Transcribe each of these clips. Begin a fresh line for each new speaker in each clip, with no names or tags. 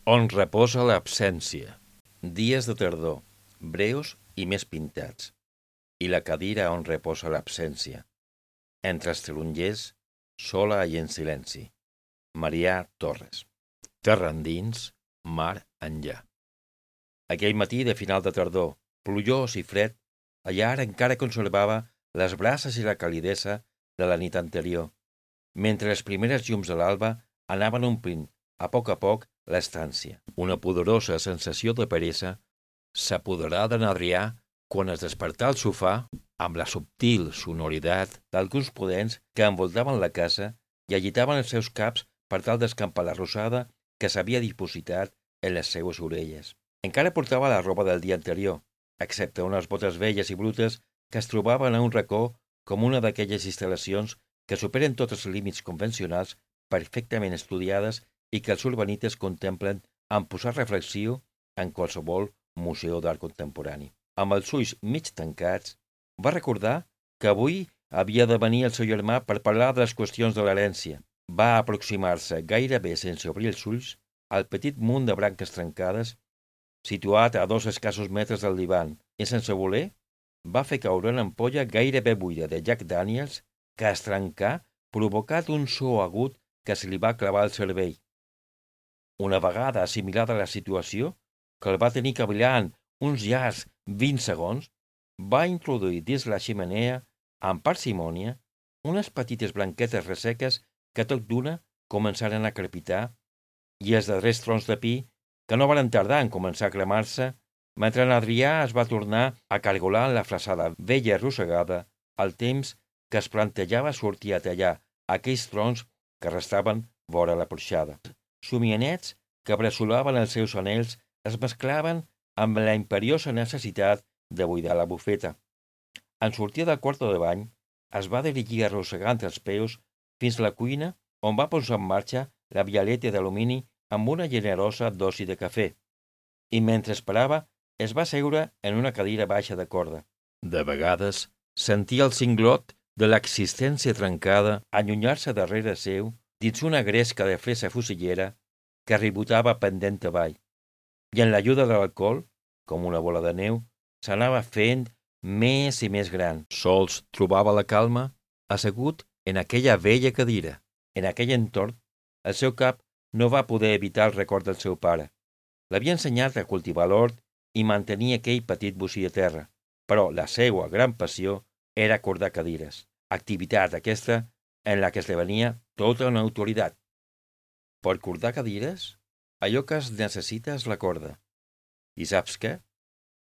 On reposa l'absència. Dies de tardor, breus i més pintats. I la cadira on reposa l'absència. Entre els tarongers, sola i en silenci. Marià Torres. Terra endins, mar enllà. Aquell matí de final de tardor, plujós i fred, la llar encara conservava les brases i la calidesa de la nit anterior, mentre les primeres llums de l'alba anaven omplint, a poc, l'estància. Una poderosa sensació de peresa s'apoderà d'en Adrià quan es despertà al sofà amb la subtil sonoritat d'alguns podents que envoltaven la casa i agitaven els seus caps per tal d'escampar la rosada que s'havia dipositat en les seues orelles. Encara portava la roba del dia anterior, excepte unes botes velles i brutes que es trobaven a un racó com una d'aquelles instal·lacions que superen tots els límits convencionals perfectament estudiades i que els urbanites contemplen amb posat reflexiu en qualsevol museu d'art contemporani. Amb els ulls mig tancats, va recordar que avui havia de venir el seu germà per parlar de les qüestions de l'herència. Va aproximar-se gairebé sense obrir els ulls al petit munt de branques trencades situat a 2 escassos metres del divan i, sense voler, va fer caure una ampolla gairebé buida de Jack Daniels que es trencà provocat un so agut que se li va clavar al cervell. Una vegada assimilada la situació, que el va tenir cavilant uns llargs 20 segons, va introduir dins la xemeneia, amb parsimònia, unes petites branquetes resseques que tot d'una començaren a crepitar i els darrers trons de pi que no van tardar en començar a cremar-se, mentre en Adrià es va tornar a cargolar en la flaçada vella i arrossegada al temps que es plantejava sortir a tallar aquells trons que restaven vora la porxada. Somianets que bresolaven els seus anells es mesclaven amb la imperiosa necessitat de buidar la bufeta. En sortir del quarto de bany, es va dirigir arrossegant els peus fins a la cuina on va posar en marxa la vialeta d'alumini amb una generosa dosi de cafè, i mentre esperava es va seure en una cadira baixa de corda. De vegades sentia el cinglot de l'existència trencada allunyar-se darrere seu dins una gresca de fresa fusillera que ribotava pendent avall, i en l'ajuda de l'alcohol, com una bola de neu, s'anava fent més i més gran. Sols trobava la calma assegut en aquella vella cadira. En aquell entorn, el seu cap no va poder evitar el record del seu pare. L'havia ensenyat a cultivar l'hort i mantenir aquell petit bocí de terra, però la seua gran passió era cordar cadires, activitat aquesta en la que esdevenia tota una autoritat. Per cordar cadires, allò que es necessita és la corda. I saps què?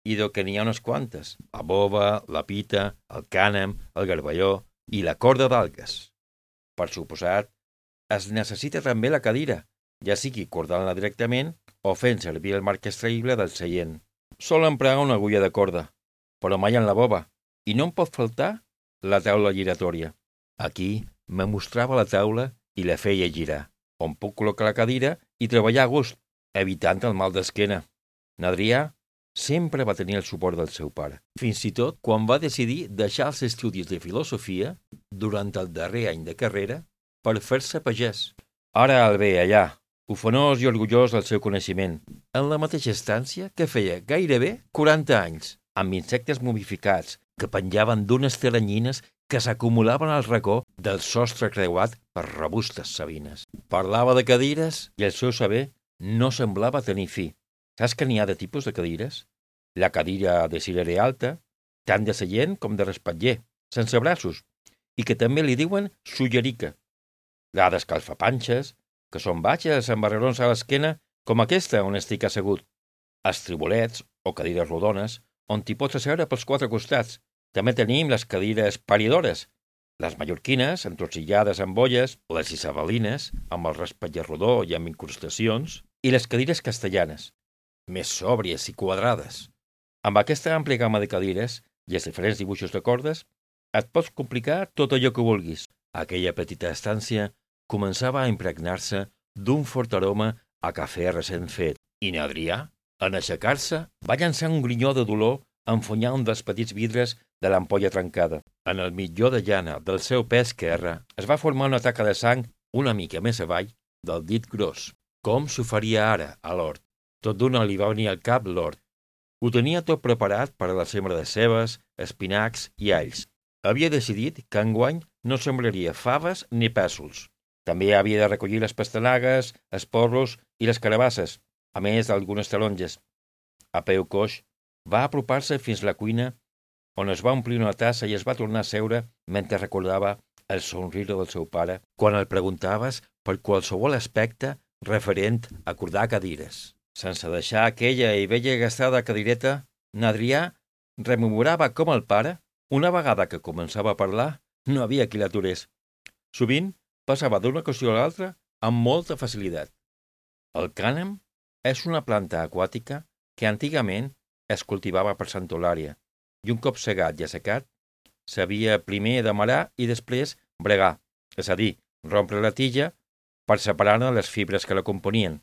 Idò que n'hi ha unes quantes: la bova, la pita, el cànem, el garballó i la corda d'algues. Per suposat, es necessita també la cadira, ja sigui cordant-la directament o fent servir el marc extraïble del seient. Sol emprar una agulla de corda, però mai en la bova, i no em pot faltar la taula giratòria. Aquí me mostrava la taula i la feia girar, on puc col·locar la cadira i treballar a gust, evitant el mal d'esquena. N'Adrià sempre va tenir el suport del seu pare, fins i tot quan va decidir deixar els estudis de filosofia durant el darrer any de carrera per fer-se pagès. Ara el ve allà, ufanós i orgullós del seu coneixement, en la mateixa estància que feia gairebé 40 anys, amb insectes momificats que penjaven d'unes teranyines que s'acumulaven al racó del sostre creuat per robustes sabines. Parlava de cadires i el seu saber no semblava tenir fi. Saps que n'hi ha de tipus de cadires? La cadira de cirera alta, tant de seient com de respatller, sense braços, i que també li diuen sullerica. La d'escalfapanxes, que són baixes amb barrerons a l'esquena com aquesta on estic assegut. Els tribolets, o cadires rodones, on t'hi pots asseure pels 4 costats. També tenim les cadires paridores, les mallorquines, entorcillades amb bolles, les isabelines, amb el respatller rodó i amb incrustacions, i les cadires castellanes, més sòbries i quadrades. Amb aquesta àmplia gamma de cadires i els diferents dibuixos de cordes, et pots complicar tot allò que vulguis. Aquella petita estància començava a impregnar-se d'un fort aroma a cafè recent fet, i n'Adrià, en aixecar-se, va llançar un grinyó de dolor a enfonyar un dels petits vidres de l'ampolla trencada. En el mitjó de llana del seu peu esquerre es va formar una taca de sang una mica més avall del dit gros. Com s'ho faria ara, a l'hort? Tot d'una li va venir al cap l'hort. Ho tenia tot preparat per a la sembra de cebes, espinacs i alls. Havia decidit que enguany no sembraria faves ni pèsols. També havia de recollir les pastanagues, els porros i les carabasses, a més d'algunes taronges. A peu coix, va apropar-se fins a la cuina, on es va omplir una tassa i es va tornar a seure mentre recordava el somriure del seu pare quan el preguntaves per qualsevol aspecte referent a acordar cadires. Sense deixar aquella i vella gastada cadireta, n'Adrià rememorava com el pare, una vegada que començava a parlar, no havia qui l'aturés. Sovint passava d'una qüestió a l'altra amb molta facilitat. El cànem és una planta aquàtica que antigament es cultivava per Santa Eulària i un cop segat i assecat, s'havia primer d'amarar i després bregar, és a dir, rompre la tija per separar-ne les fibres que la componien.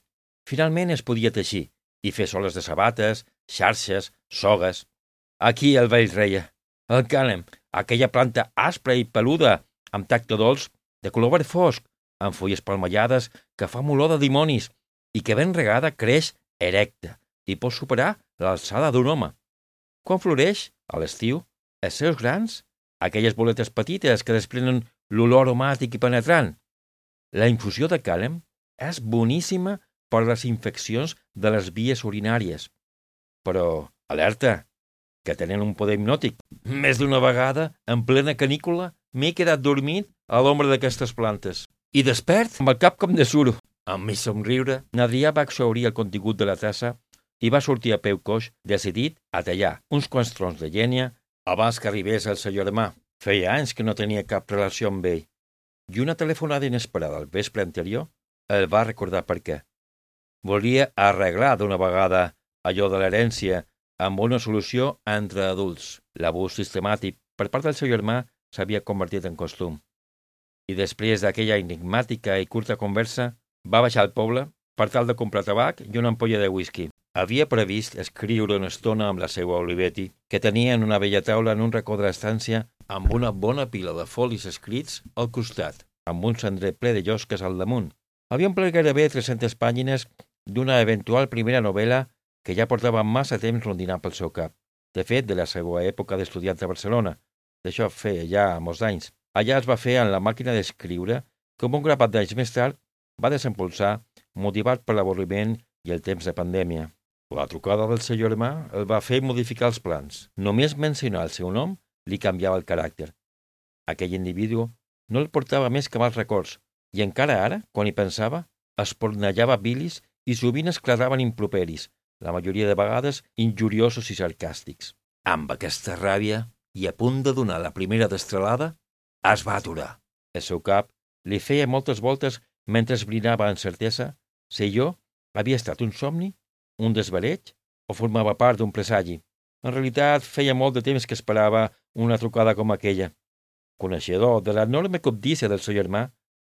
Finalment es podia teixir i fer soles de sabates, xarxes, sogues. Aquí el vell reia. El cànem, aquella planta aspra i peluda, amb tacte dolç, de color verd fosc, amb fulles palmellades que fa olor de dimonis i que ben regada creix erecta i pot superar l'alçada d'un home. Quan floreix, a l'estiu, els seus grans, aquelles boletes petites que desprenen l'olor aromàtic i penetrant. La infusió de cànem és boníssima per les infeccions de les vies urinàries. Però, alerta, que tenen un poder hipnòtic. Més d'una vegada, en plena canícula, m'he quedat dormit a l'ombra d'aquestes plantes. I despert amb el cap com de suro. Amb mig somriure, n'Adrià va exhaurir el contingut de la tassa i va sortir a peu coix, decidit a tallar uns quants troncs de llenya abans que arribés el seu germà. Feia anys que no tenia cap relació amb ell. I una telefonada inesperada al vespre anterior el va recordar per què. Volia arreglar d'una vegada allò de l'herència amb una solució entre adults. L'abús sistemàtic per part del seu germà s'havia convertit en costum. I després d'aquella enigmàtica i curta conversa, va baixar al poble per tal de comprar tabac i una ampolla de whisky. Havia previst escriure una estona amb la seva Olivetti, que tenia en una vella taula en un racó de l'estància amb una bona pila de folis escrits al costat, amb un cendrer ple de llosques al damunt. Havia omplert gairebé 300 pàgines d'una eventual primera novel·la que ja portava massa temps rondinant pel seu cap. De fet, de la seva època d'estudiant a Barcelona. D'això feia ja molts anys. Allà es va fer en la màquina d'escriure que un grapat d'anys més tard va desempolsar, motivat per l'avorriment i el temps de pandèmia. La trucada del seu germà el va fer modificar els plans. Només mencionar el seu nom li canviava el caràcter. Aquell individu no el portava més que mals records, i encara ara, quan hi pensava, espornellava bilis i sovint esclataven improperis, la majoria de vegades injuriosos i sarcàstics. Amb aquesta ràbia, i a punt de donar la primera destralada, es va aturar. El seu cap li feia moltes voltes mentre esbrinava amb certesa si jo havia estat un somni, un desvareig o formava part d'un presagi. En realitat, feia molt de temps que esperava una trucada com aquella. Coneixedor de l'enorme cobdícia del seu germà,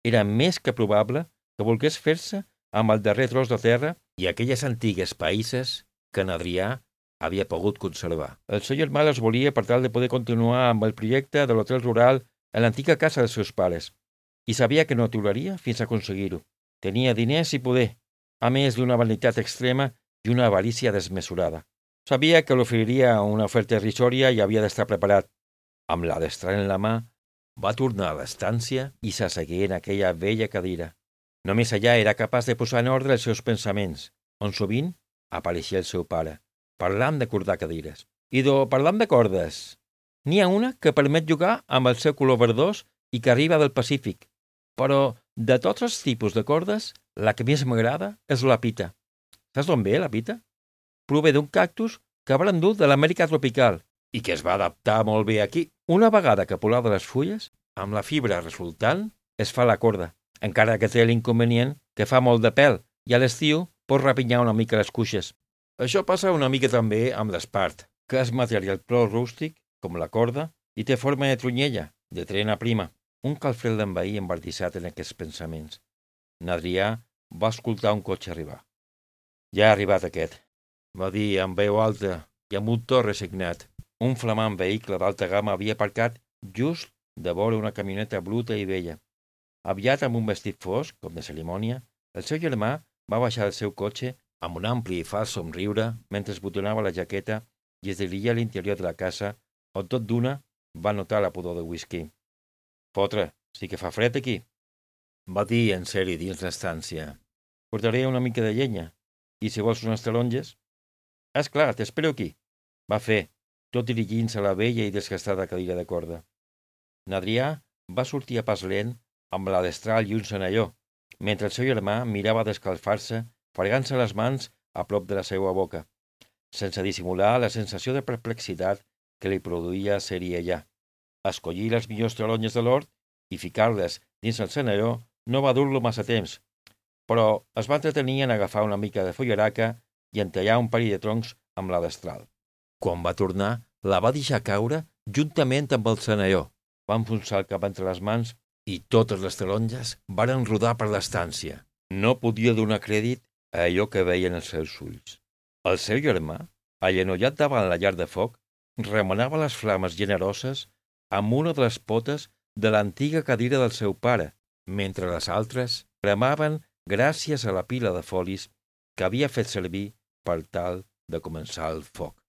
era més que probable que volgués fer-se amb el darrer tros de terra i aquelles antigues païses que n'Adrià havia pogut conservar. El seu germà les volia per tal de poder continuar amb el projecte de l'hotel rural a l'antiga casa dels seus pares, i sabia que no aturaria fins a aconseguir-ho. Tenia diners i poder, a més d'una vanitat extrema i una avarícia desmesurada. Sabia que l'oferiria una oferta irrisòria i havia d'estar preparat. Amb la destra en la mà, va tornar a l'estància i s'assegué en aquella vella cadira. Només allà era capaç de posar en ordre els seus pensaments, on sovint apareixia el seu pare, parlant d'acordar cadires. Parlant de cordes. N'hi ha una que permet jugar amb el seu color verdós i que arriba del Pacífic, però de tots els tipus de cordes, la que més m'agrada és la pita. Saps d'on ve la pita? Prové d'un cactus que va endur de l'Amèrica tropical i que es va adaptar molt bé aquí. Una vegada que polada les fulles, amb la fibra resultant es fa la corda, encara que té l'inconvenient que fa molt de pèl i a l'estiu pot rapinyar una mica les cuixes. Això passa una mica també amb l'espart, que és material prou rústic, com la corda, i té forma de trunyella, de trena prima. Un calfred l'envaí embardissat en aquests pensaments. N'Adrià va escoltar un cotxe arribar. Ja ha arribat aquest, va dir amb veu alta i amb un to resignat. Un flamant vehicle d'alta gamma havia aparcat just de vora una camioneta bruta i vella. Aviat amb un vestit fosc, com de cerimònia, el seu germà va baixar del seu cotxe amb un ampli i fals somriure mentre es botonava la jaqueta i es dirigia a l'interior de la casa, on tot d'una va notar la pudor de whisky. «Fotre, sí que fa fred aquí», va dir en seri dins l'estància. «Portaré una mica de llenya, i si vols unes taronges?» «És clar, t'espero aquí», va fer, tot dirigint-se a la vella i desgastada cadira de corda. N'Adrià va sortir a pas lent amb la destral i un senalló, mentre el seu germà mirava d'escalfar-se, fregant-se les mans a prop de la seva boca, sense dissimular la sensació de perplexitat que li produïa ser-hi allà. Escollir les millors taronges de l'hort i ficar-les dins el senalló no va dur-lo massa temps, però es va entretenir en agafar una mica de fullaraca i en tallar un parell de troncs amb la destral. Quan va tornar, la va deixar caure juntament amb el senalló. Va enfonsar el cap entre les mans i totes les taronges varen rodar per l'estància. No podia donar crèdit a allò que veien els seus ulls. El seu germà, allenollat davant la llar de foc, remenava les flames generoses amb una de les potes de l'antiga cadira del seu pare, mentre les altres cremaven gràcies a la pila de folis que havia fet servir per tal de començar el foc.